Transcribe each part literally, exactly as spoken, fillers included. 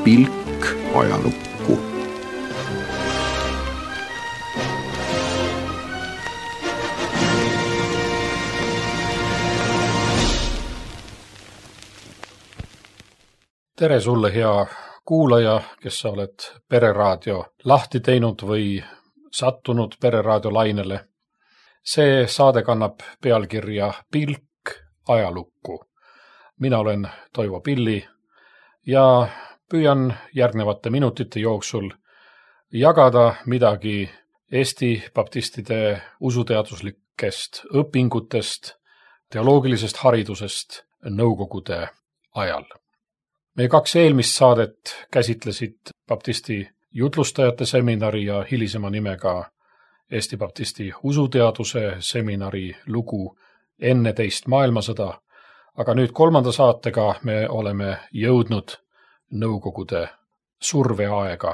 Pilk ajalukku. Tere sulle, hea kuulaja, kes sa oled Pereraadio lahti teinud või sattunud Pereraadio lainele. See saade kannab pealkirja Pilk ajalukku. Mina olen Toivo Pilli ja püüan järgnevate minutite jooksul jagada midagi Eesti baptistide usuteaduslikest õpingutest, teoloogilisest haridusest nõukogude ajal. Meie kaks eelmist saadet käsitlesid baptisti jutlustajate seminari ja hilisema nimega Eesti baptisti usuteaduse seminari lugu enne teist maailmasõda, aga nüüd kolmanda saatega me oleme jõudnud nõukogude surveaega.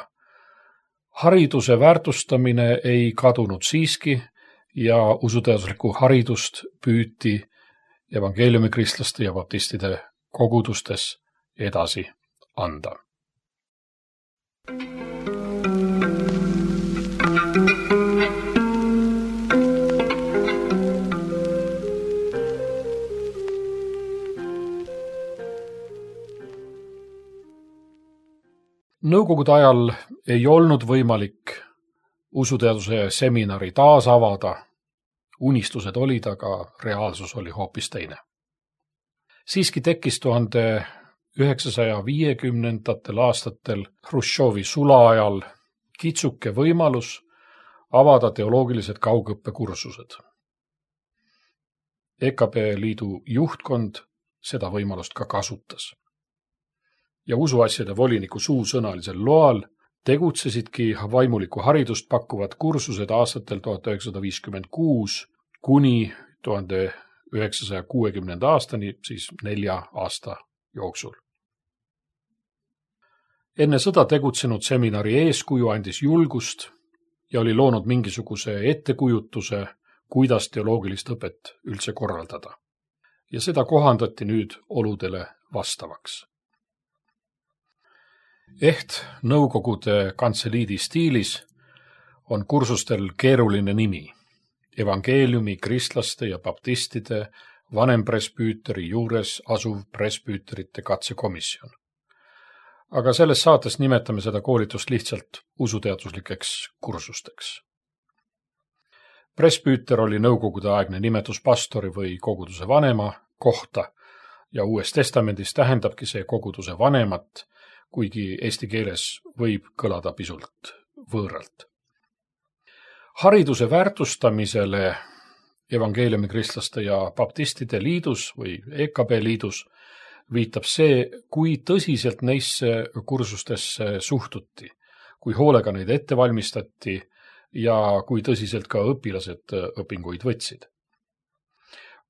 Hariduse väärtustamine ei kadunud siiski ja usuteaduslikku haridust püüti evangeeliumikristlaste ja baptistide kogudustes edasi anda. Nõukogude ajal ei olnud võimalik usuteaduse seminari taas avada. Unistused olid, aga reaalsus oli hoopis teine. Siiski tekkis tuhande üheksasaja viiekümnendatel aastatel Hruštšovi sula ajal kitsuke võimalus avada teoloogilised kaugõppekursused. E K B liidu juhtkond seda võimalust ka kasutas. Ja usuasjade voliniku suusõnalisel loal tegutsesidki vaimulikku haridust pakkuvad kursused aastatel tuhat üheksasada viiskümmend kuus kuni tuhande üheksasaja kuuekümnenda aastani, siis nelja aasta jooksul. Enne sõda tegutsenud seminari eeskuju andis julgust ja oli loonud mingisuguse ettekujutuse, kuidas teoloogilist õpet üldse korraldada. Ja seda kohandati nüüd oludele vastavaks. Eht nõukogude kantseliidi stiilis on kursustel keeruline nimi. Evangeeliumi, kristlaste ja baptistide vanempresbüüteri juures asuv presbüüterite katsekomisjon. Aga selles saates nimetame seda koolitust lihtsalt usuteaduslikeks kursusteks. Presbüüter oli nõukogude aegne nimetus pastori või koguduse vanema kohta ja Uues Testamendis tähendabki see koguduse vanemat, kuigi eesti keeles võib kõlada pisut võõralt. Hariduse väärtustamisele evangeeliumikristlaste ja baptistide liidus või E K B liidus viitab see, kui tõsiselt neisse kursustesse suhtuti, kui hoolega neid ette valmistati ja kui tõsiselt ka õpilased õpinguid võtsid.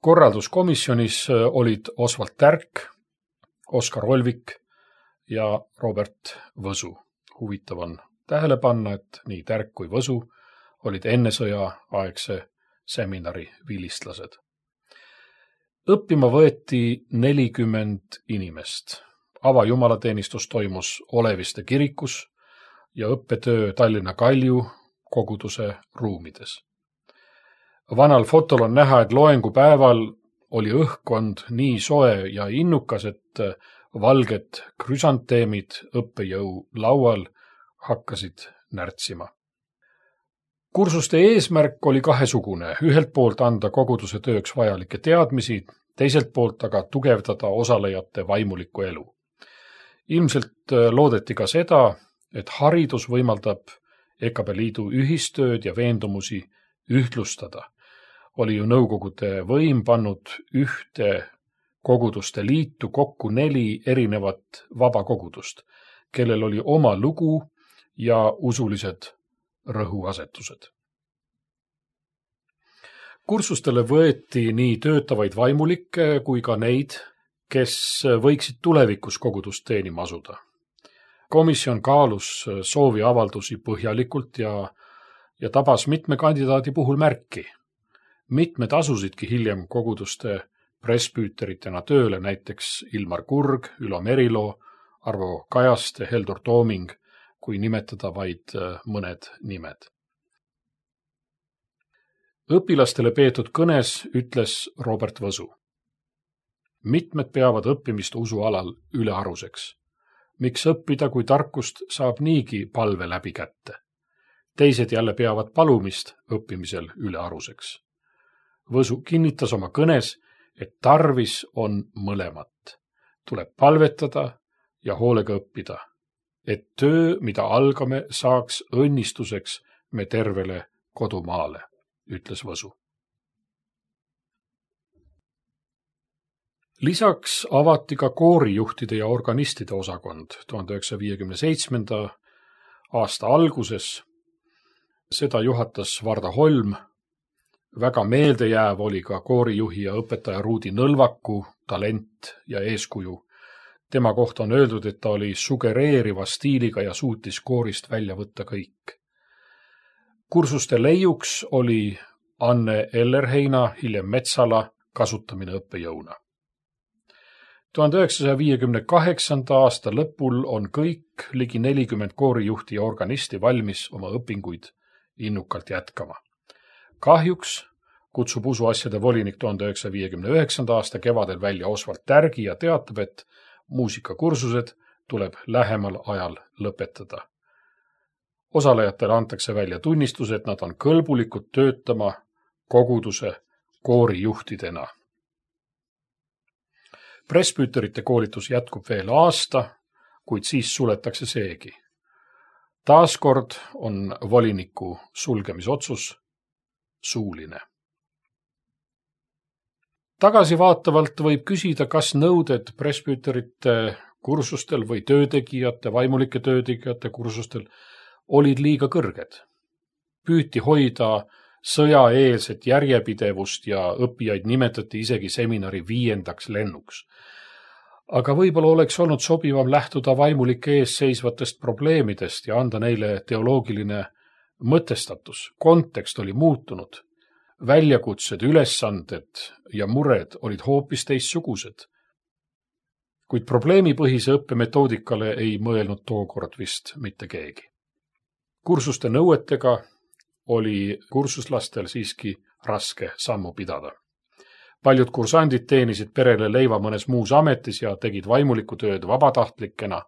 Korralduskomisjonis olid Oswald Tärk, Oskar Olvik ja Robert Võsu. Huvitav on tähele panna, et nii Tärk kui Võsu olid enne sõja aegse seminari vilistlased. Õppima võeti nelikümmend inimest. Avajumalateenistus toimus Oleviste kirikus ja õppetöö Tallinna Kalju koguduse ruumides. Vanal fotol on näha, et loengupäeval oli õhkkond nii soe ja innukas, et valged krüsanteemid õppejõu laual hakkasid närtsima. Kursuste eesmärk oli kahesugune, ühelt poolt anda koguduse tööks vajalikke teadmisi, teiselt poolt aga tugevdada osalejate vaimulikku elu. Ilmselt loodeti ka seda, et haridus võimaldab E K B liidu ühistööd ja veendumusi ühtlustada. Oli ju nõukogude võim pannud ühte koguduste liitu kokku neli erinevat vabakogudust, kellel oli oma lugu ja usulised rõhuasetused. Kursustele võeti nii töötavaid vaimulikke kui ka neid, kes võiksid tulevikus kogudust teenima asuda. Komisjon kaalus soovi avaldusi põhjalikult ja, ja tabas mitme kandidaadi puhul märki. Mitmed asusidki hiljem koguduste presbüüteritena tööle, näiteks Ilmar Kurg, Ülo Merilo, Arvo Kajaste, Heldur Tooming, kui nimetada vaid mõned nimed. Õpilastele peetud kõnes ütles Robert Võsu. Mitmed peavad õppimist usualal ülearuseks. Miks õppida, kui tarkust saab niigi palve läbi kätte? Teised jälle peavad palumist õppimisel ülearuseks. Võsu kinnitas oma kõnes, et tarvis on mõlemat. Tuleb palvetada ja hoolega õppida, et töö, mida algame, saaks õnnistuseks me tervele kodumaale, ütles Võsu. Lisaks avati ka koorijuhtide ja organistide osakond tuhande üheksasaja viiekümne seitsmenda aasta alguses. Seda juhatas Varda Holm. Väga meeldejääv oli ka koorijuhi ja õpetaja Ruudi Nõlvaku talent ja eeskuju. Tema kohta on öeldud, et ta oli sugereeriva stiiliga ja suutis koorist välja võtta kõik. Kursuste leiuks oli Anne Ellerheina, hiljem Metsala kasutamine õppejõuna. tuhande üheksasaja viiekümne kaheksanda aasta lõpul on kõik ligi nelikümmend koorijuhti ja organisti valmis oma õpinguid innukalt jätkama. Kahjuks kutsub usuasjade volinik tuhande üheksasaja viiekümne üheksanda aasta kevadel välja Oswald Tärgi ja teatab, et muusikakursused tuleb lähemal ajal lõpetada. Osalejatele antakse välja tunnistus, et nad on kõlbulikud töötama koguduse koorijuhtidena. Presbüüterite koolitus jätkub veel aasta, kuid siis suletakse seegi. Taaskord on voliniku sulgemisotsus suuline. Tagasivaatavalt võib küsida, kas nõuded presbüüterite kursustel või töötegijate, vaimulike töötegijate kursustel olid liiga kõrged. Püüti hoida sõjaeelset järjepidevust ja õppijaid nimetati isegi seminari viiendaks lennuks. Aga võib-olla oleks olnud sobivam lähtuda vaimulike ees seisvatest probleemidest ja anda neile teoloogiline mõtestatus. Kontekst oli muutunud. Väljakutsed, ülesanded ja mured olid hoopis teistsugused. Kuid probleemipõhise õppemetoodikale ei mõelnud tookord vist mitte keegi. Kursuste nõuetega oli kursuslastel siiski raske sammu pidada. Paljud kursandid teenisid perele leiva mõnes muus ametis ja tegid vaimuliku tööd vabatahtlikena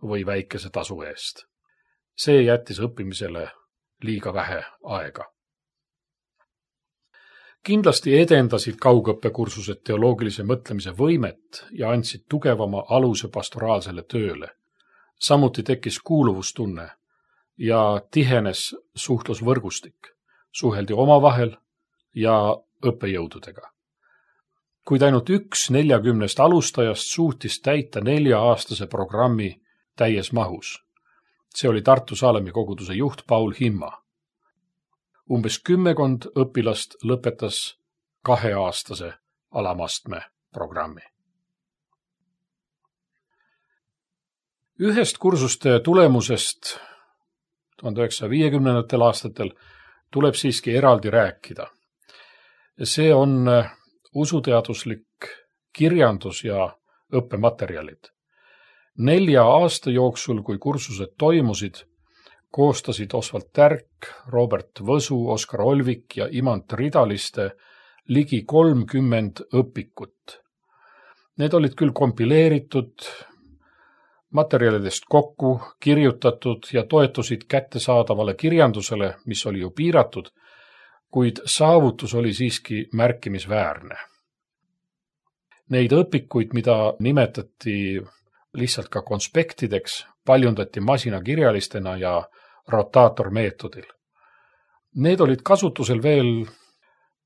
või väikese tasu eest. See jättis õppimisele liiga vähe aega. Kindlasti edendasid kaugõppekursused teoloogilise mõtlemise võimet ja andsid tugevama aluse pastoraalsele tööle. Samuti tekkis kuuluvustunne ja tihenes suhtlusvõrgustik, suheldi omavahel ja õppejõududega. Kuid ainult üks neljakümnest alustajast suutis täita nelja-aastase programmi täies mahus. See oli Tartu Saalemi koguduse juht Paul Himma. Umbes kümmekond õpilast lõpetas kaheaastase alamastme programmi. Ühest kursuste tulemusest tuhande üheksasaja viiekümnendatel aastatel tuleb siiski eraldi rääkida. See on usuteaduslik kirjandus ja õppematerjalid. Nelja aasta jooksul, kui kursused toimusid, koostasid Oswald Tärk, Robert Võsu, Oskar Olvik ja Imant Ridaliste ligi kolmkümmend õpikut. Need olid küll kompileeritud, materjalidest kokku kirjutatud ja toetusid kättesaadavale kirjandusele, mis oli ju piiratud, kuid saavutus oli siiski märkimisväärne. Neid õpikuid, mida nimetati lihtsalt ka konspektideks, paljundati masinakirjalistena ja rotaatormeetodil. Need olid kasutusel veel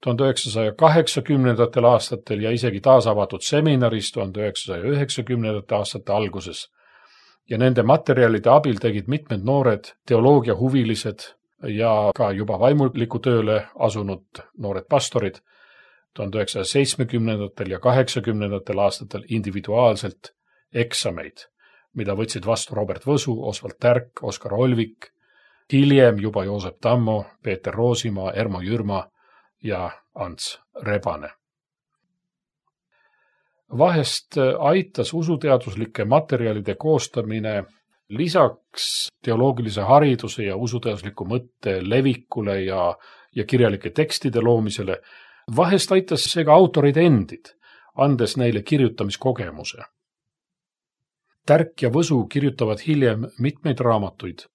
tuhande üheksasaja kaheksakümnendatel aastatel ja isegi taasavatud seminaris tuhande üheksasaja üheksakümnendate aastate alguses. Ja nende materjalide abil tegid mitmed noored teoloogiahuvilised ja ka juba vaimuliku tööle asunud noored pastorid tuhande üheksasaja seitsmekümnendatel ja kaheksakümnendatel aastatel individuaalselt eksameid, mida võtsid vastu Robert Võsu, Oswald Tärk, Oskar Olvik, hiljem juba Joosep Tammo, Peeter Roosimaa, Ermo Jürma ja Ants Rebane. Vahest aitas usuteaduslike materjalide koostamine lisaks teoloogilise hariduse ja usuteadusliku mõtte levikule ja, ja kirjalike tekstide loomisele, vahest aitas see ka autorid endid, andes neile kirjutamiskogemuse. Tärk ja Võsu kirjutavad hiljem mitmeid raamatuid,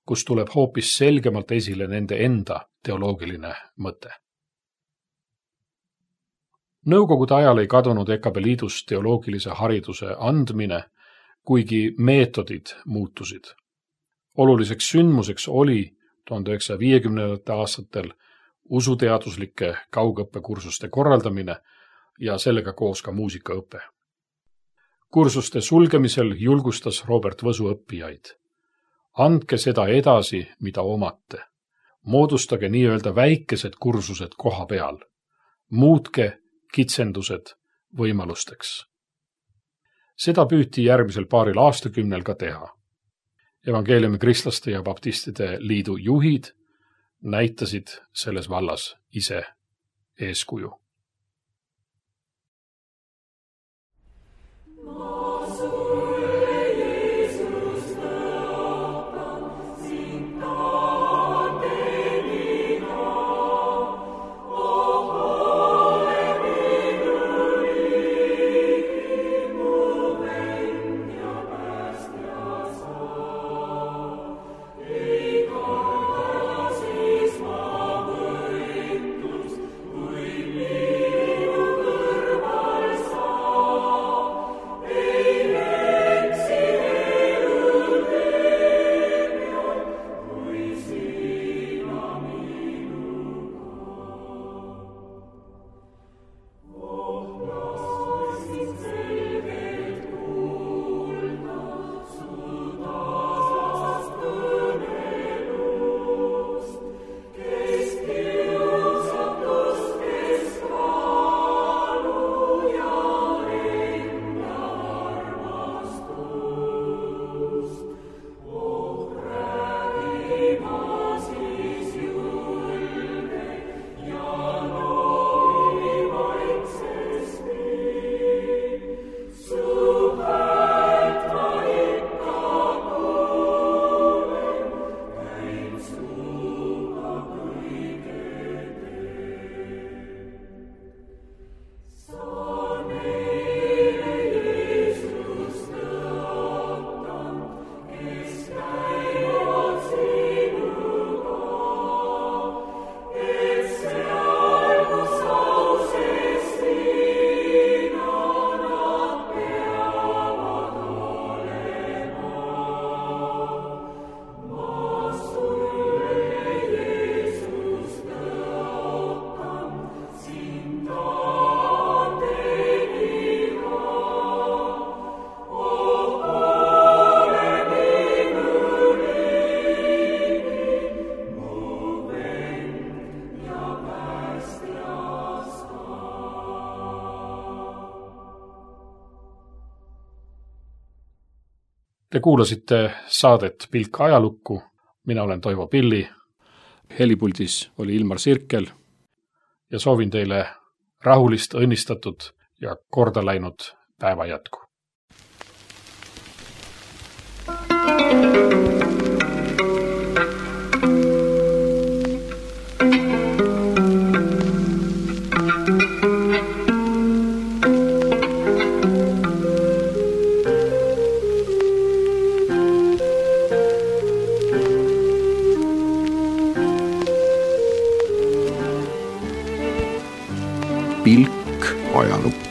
kus tuleb hoopis selgemalt esile nende enda teoloogiline mõte. Nõukogude ajal ei kadunud E K B Liidus teoloogilise hariduse andmine, kuigi meetodid muutusid. Oluliseks sündmuseks oli tuhande üheksasaja viiekümnendatel aastatel usuteaduslike kaugõppekursuste korraldamine ja sellega koos ka muusikaõpe. Kursuste sulgemisel julgustas Robert Võsu õppijaid. Andke seda edasi, mida omate. Moodustage nii-öelda väikesed kursused koha peal. Muutke kitsendused võimalusteks. Seda püüti järgmisel paaril aastakümnel ka teha. Evangeeliumi kristlaste ja baptistide liidu juhid näitasid selles vallas ise eeskuju. Te kuulasite saadet Pilk ajalukku, mina olen Toivo Pilli, helipuldis oli Ilmar Sirkel ja soovin teile rahulist, õnnistatud ja korda läinud päeva jätku. Pilk ajalukku.